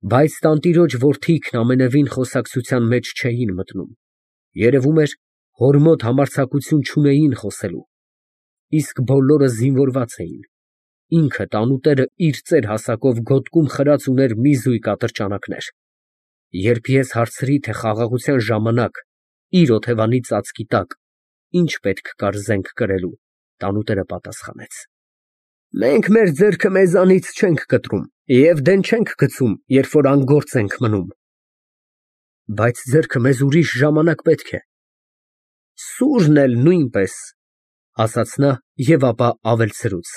Բայց տանտիրոջ որդիքն ամենևին խոսակցության մեջ չէին մտնում, երևում էր, հոր մոտ համարձակություն չունեին խոսելու, իսկ բոլորը զինվորված էին, ինքը տանուտերը իր ծեր հասակով գոտկում խրած ուներ մի զույգ ատրճանակներ, երբ ես հարցրի, թե խաղաղության ժամանակ իր օթևանի ծածկի տակ ինչ պետք կար զենք կրելու, տանուտերը պատասխանեց. «Մենք մեր ձեռքը մեզանից չենք կտրում և դեն չենք գցում, երբ որ անգործ ենք մնում»։ Բայց ձեռքը մեզ ուրիշ ժամանակ պետք է։ Սուրն էլ նույնպես, ասաց նա և ապա ավելցրուց.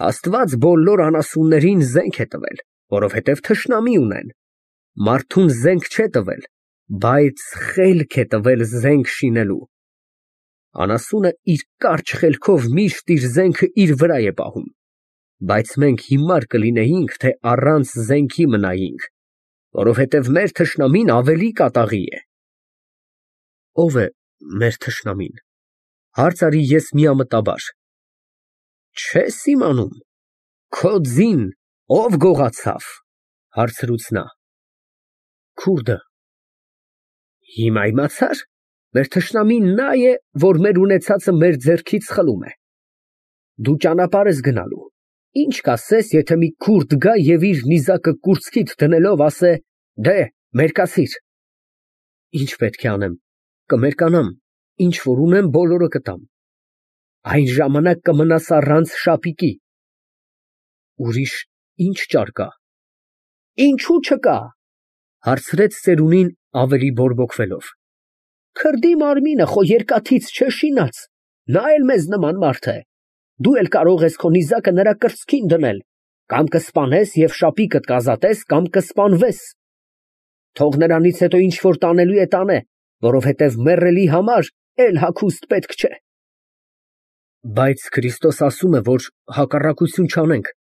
Աստված բոլոր անասուններին զենք է տվել, որովհետև թշնամի ունեն, մարդուն զենք չէ տվել, բայց խելք է տվել զենք շինելու։ Անասունը իր կարճ խելքով միշտ իր զենքը իր վրա է պահում, բայց մենք հիմար կլինեինք, թե առանց զենքի մնայինք, որովհետև մեր թշնամին ավելի կատաղի է։ Ո՞վ է մեր թշնամին, հարց արի ես միամտաբար։ Չես իմանում, քո ձին ով գողացավ, հարցրուց նա։ Քուրդը։ Հիմա իմացա՞ր, մեր թշնամին նա է, որ մեր ունեցածը մեր ձեռքից խլում է։ Դու ճանապարհ ես գնալու, ինչ կասես, եթե մի քուրդ գա և իր նիզակը կուրծքիդ դնելով ասե. «Դե, մերկացիր»։ Ինչ պետք է անեմ, կմերկանամ, ինչ որ ունեմ, բոլորը կտամ։ Այն ժամանակ կմնաս առանց շապիկի։ Ուրիշ ինչ ճար կա։ Ինչու չկա, հարցրեց ծերունին ավելի բորբոքվելով։ Քրդի մարմինը խո երկաթից չէ շինած, նա էլ մեզ նման մարդ է, դու էլ կարող ես քո նիզակը նրա կրծքին դնել, կամ կսպանես և շապիկդ կազատես, կամ կսպանվես։ Թող նրանից հետո ինչ որ տանելու է տանե, որովհետև մեռելի համար էլ հագուստ պետք չէ։ Բայց Քրիստոս ասում է, որ հակառակություն չանենք,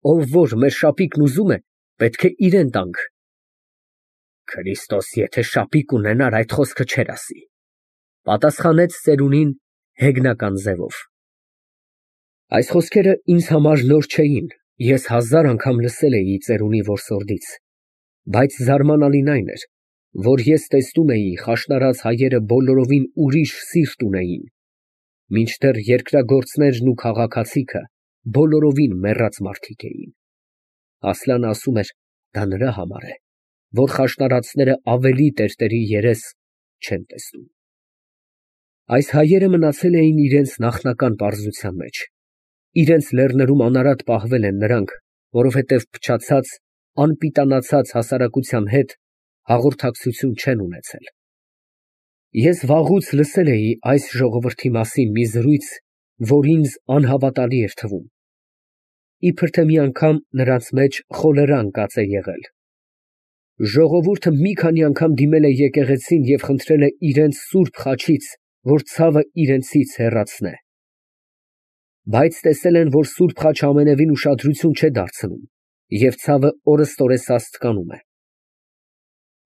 ով որ մեր շապիկն ուզում է, պետք է իրեն տանք։ Քրիստոս եթե շապիկ ունենար, այդ խոսքը չէր ասի, պատասխանեց ծերունին հեգնական ձևով։ Այս խոսքերը ինձ համար նոր չէին, ես 1000 անգամ լսել էի ծերունի որսորդից, բայց զարմանալին այն էր, որ ես տեսնում էի խաշնարած հայերը բոլորովին ուրիշ սիրտ ունեին, մինչդեռ երկրագործներն ու քաղաքացիքը բոլորովին մեռած մարդիկ էին։ Ասլանը ասում էր, դա նրա համար է, որ խաշնարածները ավելի տերտերի երես չեն տեսնում։ Այս հայերը մնացել էին իրենց նախնական պարզության մեջ, իրենց լեռներում անարատ պահվել են նրանք, որովհետև փչացած, անպիտանացած հասարակության հետ հաղորդակցություն չեն ունեցել։ Ես վաղուց լսել էի այս ժողովրդի մասին մի զրույց, որ ինձ անհավատալի էր թվում։ Իբր թե մի անգամ նրանց մեջ խոլերան կաց է եղել։ Ժողովուրդը մի քանի անգամ դիմել է եկեղեցին և խնդրել է իրենց սուրբ խաչից, որ ցավը իրենցից հեռացնե։ Բայց տեսել են, որ սուրբ խաչը ամենևին ուշադրություն չէ դարձնում, և ցավը օրըստօրես աստկանում է։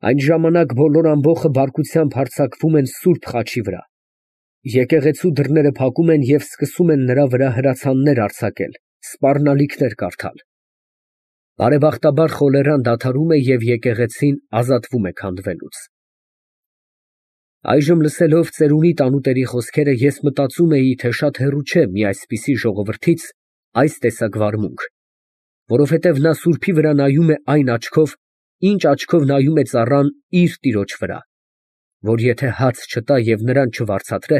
Այն ժամանակ բոլոր ամբոխը բարկությամբ հարձակվում են սուրբ խաչի վրա։ Եկեղեցու դռները փակում են և սկսում են նրա վրա հրացաններ արձակել, սպառնալիքներ կարդալ։ Բարեբախտաբար խոլերան դադարում է և եկեղեցին ազատվում է քանդվելուց։ Այժմ լսելով ծերունի տանուտերի խոսքերը, ես մտածում էի, թե շատ հեռու չէ մի այսպիսի ժողովրդից այս տեսակ վարմունք, որովհետև նա սուրբի վրա նայում է այն աչքով, ինչ աչքով նայում է ծառան իր տիրոջ վրա, որ եթե հաց չտա և նրան չվարձատրե,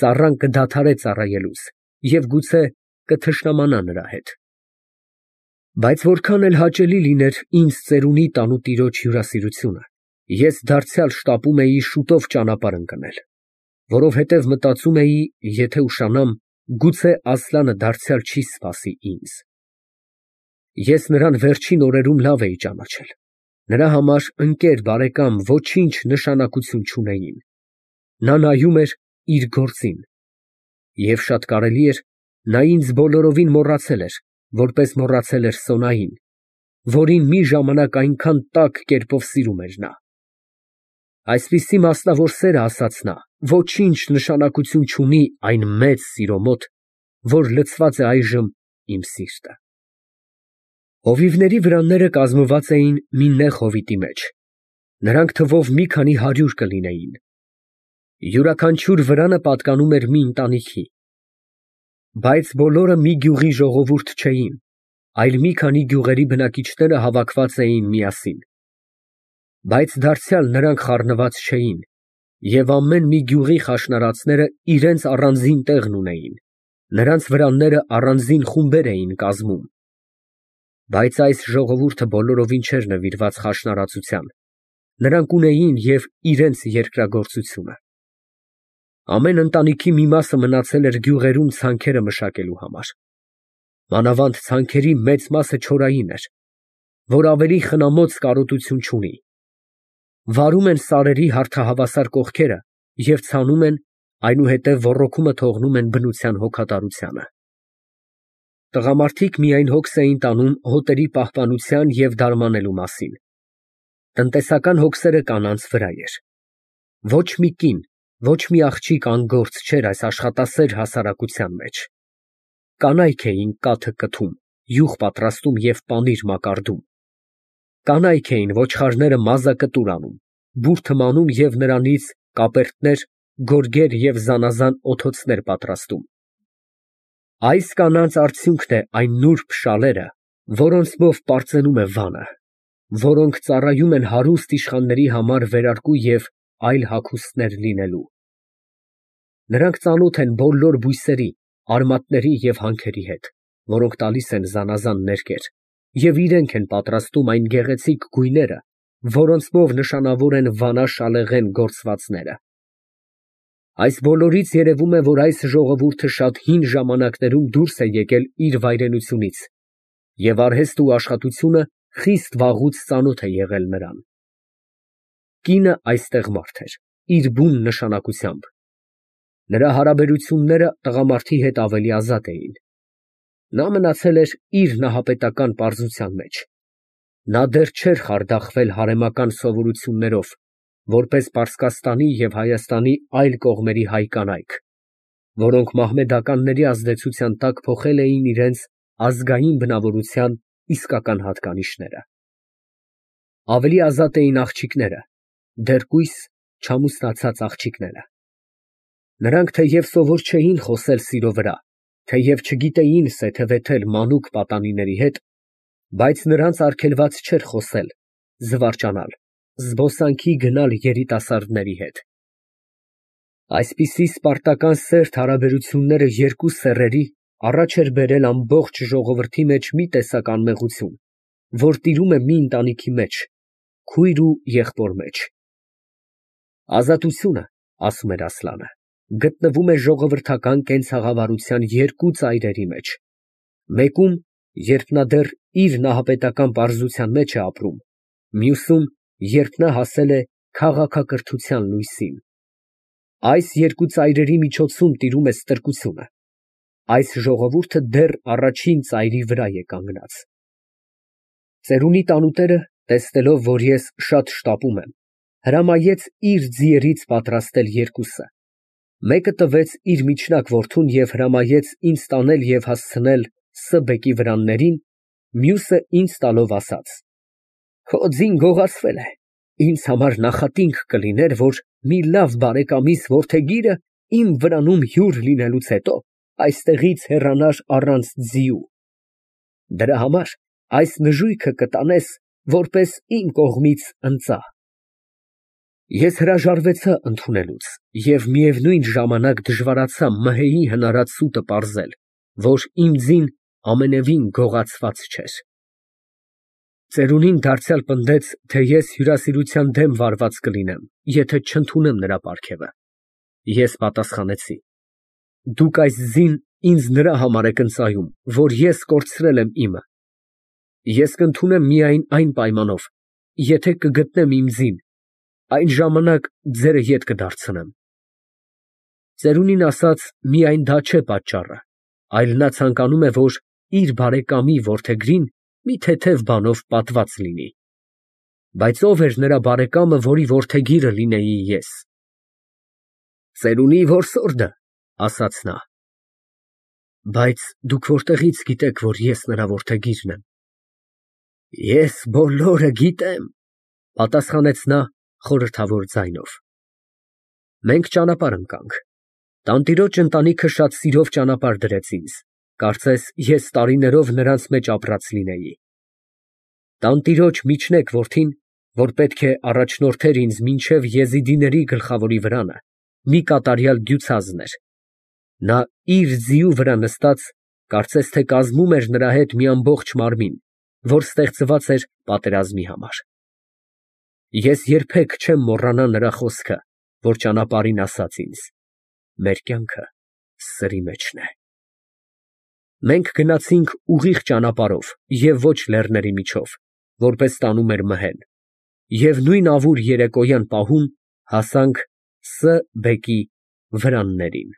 ծառան կդադարե ծառայելուց և գուցե կթշնամանա նրա հետ։ Բայց որքան էլ հաճելի լիներ ինձ ծերունի տանուտիրոջ հյուրասիրությունը, ես դարձյալ շտապում էի շուտով ճանապարհ ընկնել, որովհետև մտածում էի, եթե ուշանամ, գուցե Ասլանը դարձյալ չի սպասի ինձ։ Ես նրան վերջին օրերում լավ էի ճանաչել, նրա համար ընկեր, բարեկամ ոչինչ նշանակություն չունեին։ Նա նայում էր իր գործին, և շատ կարելի էր, նա ինձ բոլորովին մոռացել էր, որպես մոռացել էր Սոնային, որին մի ժամանակ այնքան տաք կերպով սիրում էր նա։ Այսպիսի մասնավոր սերը, ասաց նա, ոչինչ նշանակություն չունի այն մեծ սիրո մոտ, որ լցված է այժմ իմ սիրտը։ Հովիվների վրանները կազմված էին մի նեղ հովիտի մեջ, նրանք թվով մի քանի 100 կլինեին, յուրաքանչյուր վրանը պատկանում էր մի ընտանիքի, բայց բոլորը մի գյուղի ժողովուրդ չէին, այլ մի քանի գյուղերի բնակիչները հավաքված էին միասին, բայց դարձյալ նրանք խառնված չէին, և ամեն մի գյուղի խաշնարածները իրենց առանձին տեղն ունեին, նրանց վրանները առանձին խումբեր էին կազմում, բայց այս ժողովուրդը բոլորովին չէր նվիրված խաշնարածության, նրանք ունեին և իրենց երկրագործությունը։ Ամեն ընտանիքի մի մասը մնացել էր գյուղերում ցանքերը մշակելու համար, մանավանդ ցանքերի մեծ մասը չորային էր, որ ավելի խնամոց կարոտություն չունի, վարում են սարերի հարթահավասար կողքերը և ցանում են, այնուհետև ոռոգումը թողնում են բնության հոգատարությանը։ Տղամարդիկ միայն հոգս էին տանում հոտերի պահպանության և դարմանելու մասին, տնտեսական հոգսերը կանանց վրա էր։ Ոչ մի կին, ոչ մի աղջիկ անգործ չէր այս աշխատասեր հասարակության մեջ։ Կանայք էին կաթը կթում, յուղ պատրաստում և պանիր մակարդում, կանայք էին ոչխարները մազակտուր անում, բուրդը մանում և նրանից կապերտներ, գորգեր և զանազան օթոցներ պատրաստում։ Այս կանանց արդյունքն է այն նուրբ շալերը, որոնցմով պարծենում է վանը, որոնք ծառայում են հարուստ իշխանների համար վերարկու և այլ հագուստներ լինելու։ Նրանք ծանոթ են բոլոր բույսերի, արմատների և հանքերի հետ, որոնք տալիս են զանազան ներկեր, և իրենք են պատրաստում այն գեղեցիկ գույները, որոնցմով նշանավոր են վանաշալեղեն գործվածները։ Այս բոլորից երևում է, որ այս ժողովուրդը շատ հին ժամանակներում դուրս է եկել իր վայրենությունից, և արհեստը ու աշխատությունը խիստ վաղուց ծանոթ է եղել նրան։ Կինը այստեղ մարդ էր, իր բուն նշանակությամբ։ Նրա հարաբերությունները տղամարդի հետ ավելի ազատ էին։ Նա մնացել էր իր նահապետական պարզության մեջ։ Նա դեռ չէր խարդախվել հարեմական սովորություններով, որպես Պարսկաստանի և Հայաստանի այլ կողմերի հայ կանայք, որոնք մահմեդականների ազդեցության տակ փոխել էին իրենց ազգային բնավորության իսկական հատկանիշները։ Ավելի ազատ էին աղջիկները, դեռկույս չամուսնացած աղջիկները։ Նրանք թեև սովոր չէին խոսել սիրո վրա, թեև չգիտեին սեթևեթել մանուկ պատանիների հետ, բայց նրանց արգելված չէր խոսել, զվարճանալ, զբոսանքի գնալ երիտասարդների հետ։ Այսպիսի սպարտական սերտ հարաբերությունները երկու սեռերի առաջ էր բերել ամբողջ ժողովրդի մեջ մի տեսակ անմեղություն, որ տիրում է մի ընտանիքի մեջ, քույր ու եղբոր մեջ։ Ազատությունը, ասում էր Ասլանը, գտնվում է ժողովրդական կենցաղավարության երկու ծայրերի մեջ, մեկում, երբ նա դեռ իր նահապետական պարզության մեջ է ապրում, մյուսում, երբ նա հասել է քաղաքակրթության լույսին։ Այս երկու ծայրերի միջոցում տիրում է ստրկությունը։ Այս ժողովուրդը դեռ առաջին ծայրի վրա է կանգնած։ Ծերունի տանուտերը, տեսնելով, որ ես շատ շտապում եմ, հրամայեց իր ձիերից պատրաստել երկուսը, մեկը տվեց իր միջնակ որդուն և հրամայեց ինձ տանել և հասցնել Ս. բեկի վրաններին, մյուսը ինձ տալով ասաց. «Քո ձին գողացվել է, ինձ համար նախատինք կլիներ, որ մի լավ բարեկամիս որդեգիրը իմ վրանում հյուր լինելուց հետո այստեղից հեռանար առանց ձիու։ Դրա համար այս նժույգը կտանես որպես իմ կողմից ընծա»։ Ես հրաժարվեցա ընդունելուց և միևնույն ժամանակ դժվարացա մհեի հնարած սուտը պարզել, որ իմ ձին ամենևին գողացված չէր։ Ծերունին դարձյալ պնդեց, թե ես հյուրասիրության դեմ վարված կլինեմ, եթե չընդունեմ նրա պարգևը։ Ես պատասխանեցի. «Դուք այս ձին ինձ նրա համար եք ընծայում, որ ես կորցրել եմ իմը։ Ես կընդունեմ միայն այն պայմանով, եթե կգտնեմ իմ ձին, այն ժամանակ ձերը ետ կդարձնեմ»։ Ծերունին ասաց միայն դա չէ պատճառը, այլ նա ցանկանում է, որ իր բարեկամի որդեգրին մի թեթև բանով պատված լինի։ Բայց ո՞վ էր նրա բարեկամը, որի որդեգիրը լինեի ես։ «Ծերունի որսորդը», ասաց նա։ «Բայց դուք որտեղի՞ց գիտեք, որ ես նրա որդեգիրն եմ»։ Ես բոլորը գիտեմ, պատասխանեց նա խորհրդավոր ձայնով։ Մենք ճանապարհ ընկանք։ Տանտիրոջ ընտանիքը շատ սիրով ճանապարհ դրեց ինձ, կարծես ես տարիներով նրանց մեջ ապրած լինեի։ Տանտիրոջ միջնեկ որդին, որ պետք է առաջնորդեր ինձ մինչև եզիդիների գլխավորի վրանը, մի կատարյալ դյուցազն էր։ Նա իր ձիու վրա նստած, կարծես թե կազմում էր նրա հետ մի ամբողջ մարմին, որ ստեղծված էր պատերազմի համար։ Ես երբեք չեմ մոռանա նրա խոսքը, որ ճանապարհին ասաց ինձ. մեր կյանքը սրի մեջն է։ Մենք գնացինք ուղիղ ճանապարհով և ոչ լեռների միջով, որպես տանում էր մհեն, և նույն ավուր երեկոյան պահուն հասանք Ս. բեկի վրաններին։